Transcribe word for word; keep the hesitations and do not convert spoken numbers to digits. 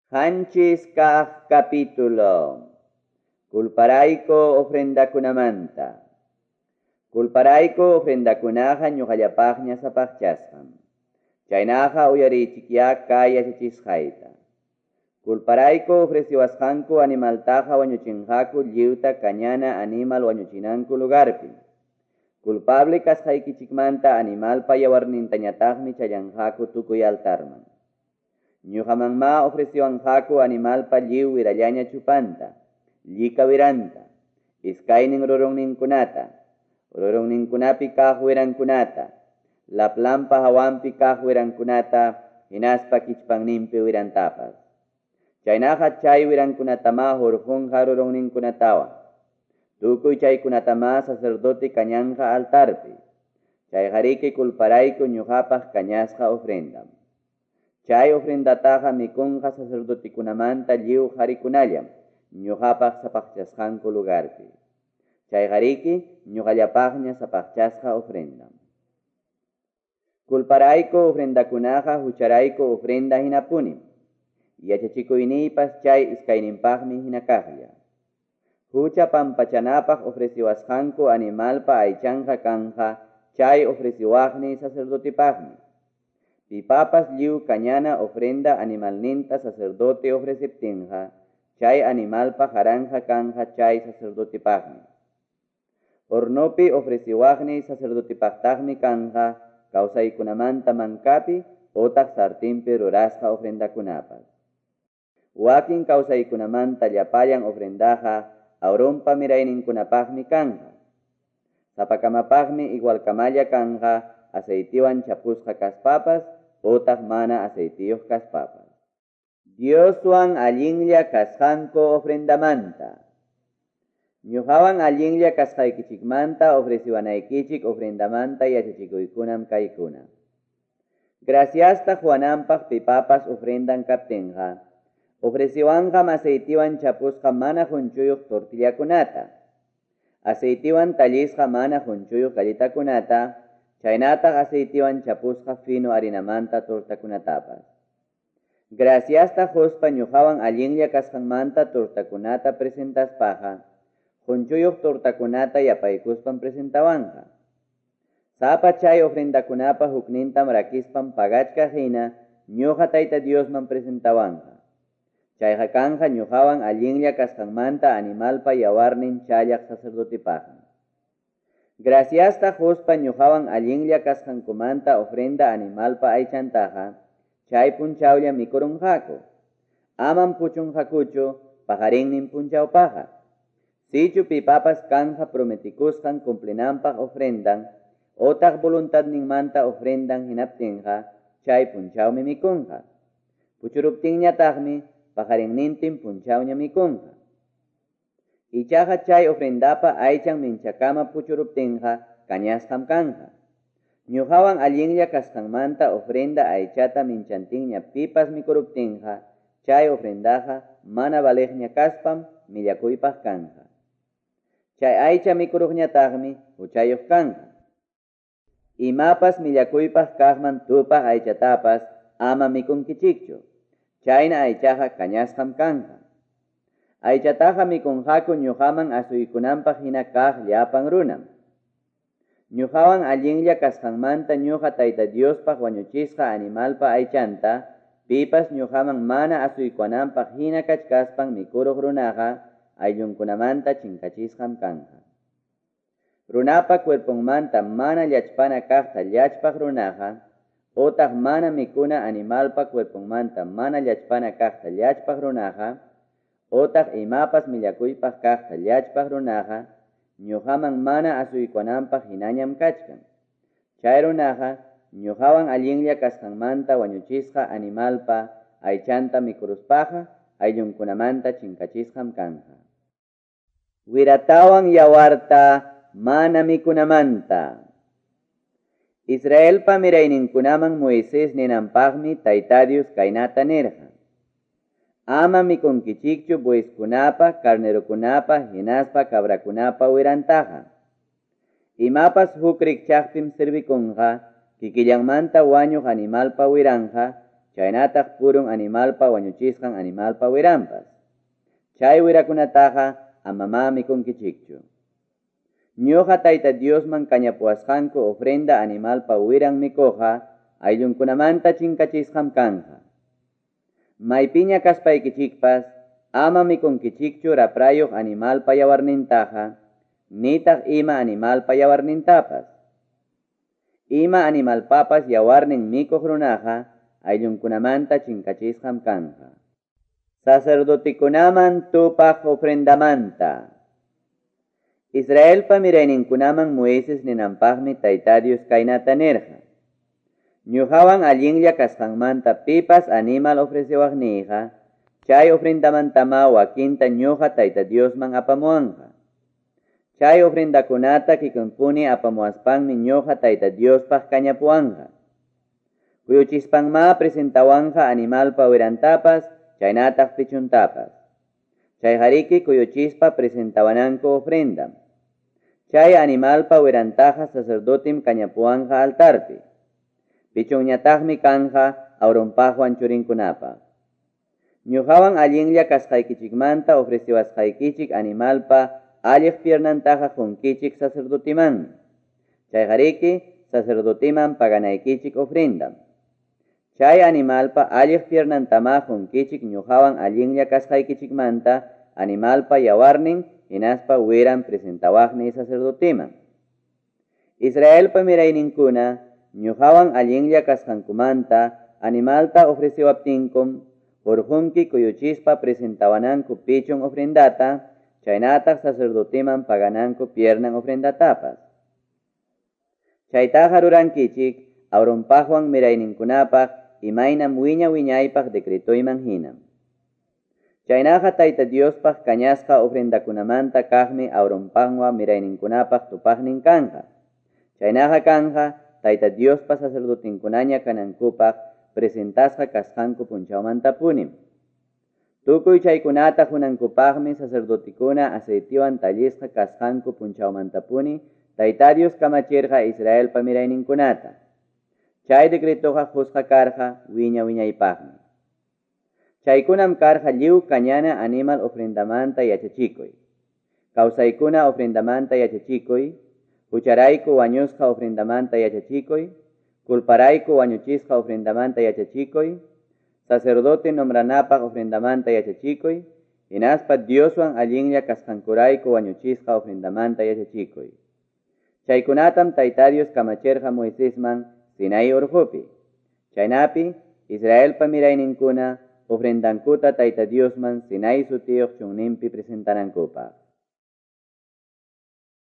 Qanchis kaq capítulo. Kulparayku ofrendakunamanta. Kulparayku ofrendakunaqa ñuqallapaqña sapaqchasqam. Chaynaqa uyarichikyá kay yachachisqayta. Kulparayku ofreciwasqanku animaltaqa wañuchinqaku lliwta kañana animal wañuchinanku lugarpi. Culpable kasqaykichikmanta animalpa yawarnintañataqmi challanqaku tukuy altarman. Ñuqamanma ofreciwanqaku animalpa lliw wirallaña chupanta, llika wiranta, iskaynin rurunninkunata, rurunninkunapi kaq wirankunata, laplampa hawanpi kaq wirankunata, hinaspa kichpanninpi wirantapas. Chaynaqa chay wirankunatama hurqunqa rurunninkunatawan. Tukuy chaykunatama sacerdote kañanqa altarpi. Chayqariki kulparayku ñuqapaq kañasqa ofrendam. Chay ofrendataqa mikunqa sacerdotekunamanta lliw qharikunallam ñuqapaq sapaqchasqanku lugarpi. Chayqariki ñuqallapaqña sapaqchasqa ofrendam. Kulparayku ofrendakunaqa hucharayku ofrenda hinapunim. Yachachikuyniypas chay iskayninpaqmi hina kaqlla. Hucha pampachanapaq ofreciwasqanku animalpa aychanqa kanja chay ofreciwaqni sacerdotepaqmi. Pipapas lliw kañana ofrenda animalninta sacerdote ofreceptinqa, chay animalpa jaranja kanja chay sacerdotepaqmi. Hornopi ofreciwaqni sacerdotepaqtaqmi kanja kawsaykunamanta mankapi otaq sartinpi rurasqa ofrendakunapas. Wakin kawsaykunamanta llapallan ofrendaqa Aaronpa mirayninkunapaqmi kanja. Sapakamapaqmi igualkamalla kanja aceitiwan chapusqa kaspapas otaq mana aceitiyuq kaspapas. Dioswan allinlla kasqanku ofrendamanta. Ñuqawan allinlla kasqaykichikmanta ofreciwanaykichik ofrendamanta yachachikuykunam kaykuna. Graciasta Juananpaq pipapas ofrendan kaptinqa, ofreciwanqam aceitiwan chapusqa mana qunchuyuq tortillakunata, aceitiwan tallisqa mana qunchuyuq galletakunata, chaynataq aceitiwan chapusqa fino harinamanta tortakunatapas. Graciasta quspa ñuqawan allinlla kasqanmanta tortakunata presentaspaqa, qunchuyuq tortakunata yapaykuspan presentawanqa. Sapa chay ofrendakunapa huknintam rakispan pagachkaq hina ñuqa Tayta Diosman presentawanqa. Chayqa kanja ñuqawan allinlla kasqanmanta animalpa yawarnin challaq sacerdotepaqmi. Graciasta quspa ñuqawan allinlla kasqankumanta ofrenda animalpa aychantaqa, chay punchawlla mikurunqaku. Amam puchunqakuchu paqarinnin punchawpaqa. Sichu pipapas kanja prometikusqan cumplinanpaq ofrendan, otaq voluntadninmanta ofrendan hinaptinqa, chay punchawmi mikunqa. Puchuruptinñataqmi paqarinnintin punchawña mikunqa. Ichaqa chay ofrendapa aychan minchakama puchuruptinqa kañasqam kanja. Ñuqawan allinlla kasqanmanta ofrenda aychata minchantinña pipas mikuruptinqa, chay ofrendaqa mana valeqña kaspam millakuypaq kanja. Chay aycha mikuruqñataqmi huchayuq kanja. Imapas millakuypaq kaqman tupaq aychatapas ama mikunkichikchu. Chayna aychaqa kañasqam kanja. Aychataqa mikunqaku ñuqaman asuykunanpaq hina kaq llapan runam. Ñuqawan allinlla kasqanmanta ñuqa Tayta Diospaq wañuchisqa animalpa aychanta, pipas ñuqaman mana asuykunanpaq hina kachkaspan mikuruq runaqa ayllunkunamanta chinkachisqam kanja. Runapa cuerponmanta mana llachpana kaqta llachpaq runaqa, otaq mana mikuna animalpa cuerponmanta mana llachpana kaqta llachpaq runaqa, otaq imapas millakuypaq kaqta llachpaq runaqa, ñuqaman mana asuykunanpaq hinañam kachkan. Chay runaqa ñuqawan allinlla kasqanmanta wañuchisqa animalpa aychanta mikuruspaqa ayllunkunamanta chinkachisqam kanja. Wiratawan yawarta mana mikunamanta. Israelpa mirayninkunaman Moisés ninanpaqmi Tayta Dios kaynata nirqa. Ama mikunkichikchu bueyeskunapa, carnerokunapa, hinaspa cabrakunapa wirantaqa. Imapas huk rikchaqpim servikunqa, kikillanmanta wañuq animalpa wiranja, chaynataq purun animalpa wañuchisqan animalpa wiranpas. Chay wirakunataqa amamá mikunkichikchu. Ñuqa Tayta Diosman kañapuwasqanku ofrenda animalpa wiran mikuqqa ayllunkunamanta chinkachisqam kanqa. Maypiña kaspaykichikpas ama mikunkichikchu raprayuq animalpa yawarnintaqa, nitaq ima animalpa yawarnintapas. Ima animalpapas yawarnin mikuq runaqa ayllunkunamanta chinkachisqam kanqa. Sacerdotikunaman tupaq ofrendamanta. Israelpa mirayninkunaman Moisés ninanpaqmi Tayta Dios kaynata nirqa: Ñuqawan allinlla kasqanmanta pipas animal ofrecewaqniyqa, chay ofrendamantama wakinta ñuqa Tayta Diosman apamuwanqa. Chay ofrendakunata kikinpuni apamuwaspanmi ñuqa Tayta Diospaq kañapuwanqa. Kuyuchispanma presentawanqa animalpa wirantapas, chaynataq pichuntapas. Chayqariki kuyuchispa presentawananku ofrendam. Chay animalpa wirantaqa sacerdotem kañapuwanqa altarpi. Pichunñataqmi kanja Aaronpaqwan churinkunapaq. Ñuqawan allinlla kasqaykichikmanta ofreciwasqaykichik animalpa alliq piernantaqa qunkichik sacerdotimanmi. Chayqariki sacerdotiman paganaykichik ofrendam. Chay animalpa alliq piernantama qunkichik ñuqawan allinlla kasqaykichikmanta animalpa yawarnin hinaspa wiran presentawaqni sacerdotiman. Israelpa mirayninkuna ñuqawan allinlla kasqankumanta animalta ofreciwaptinkum hurqunki kuyuchispa presentawananku pichun ofrendata, chaynataq sacerdotiman pagananku piernan ofrendatapas. Chaytaqa rurankichik Aaronpaqwan mirayninkunapaq imaynam wiña wiñaypaq decretoyman hinam. Chaynaqa Tayta Diospaq kañasqa ofrendakunamanta kaqmi Aaronpaqwan mirayninkunapaq tupaqnin kanja. Chaynaqa kanja Tayta Diospa sacerdotinkunaña kanankupaq presentasqa kasqanku punchawmantapunim. Tukuy chaykunata hunankupaqmi sacerdotikuna aceitiwan tallisqa kasqanku punchawmantapuni Tayta Dios kamachirqa Israelpa mirayninkunata. Chay decretoqa qusqa karqa wiña wiñaypaqmi. Chaykunam karqa lliw kañana animal ofrendamanta yachachikuy. Kawsaykuna ofrendamanta yachachikuy, hucharayku wañusqa ofrendamanta yachachikuy, culparayku wañuchisqa ofrendamanta yachachikuy, sacerdote nombranapaq ofrendamanta yachachikuy, hinaspa Dioswan allinlla kasqankurayku wañuchisqa ofrendamanta yachachikuy. Chaykunatam Tayta Dios kamachirqa Moisesman Sinai urqupi. Chaynapi Israelpa mirayninkuna ofrendankuta Tayta Diosman Sinai sutiyuq chunninpi presentanankupaq.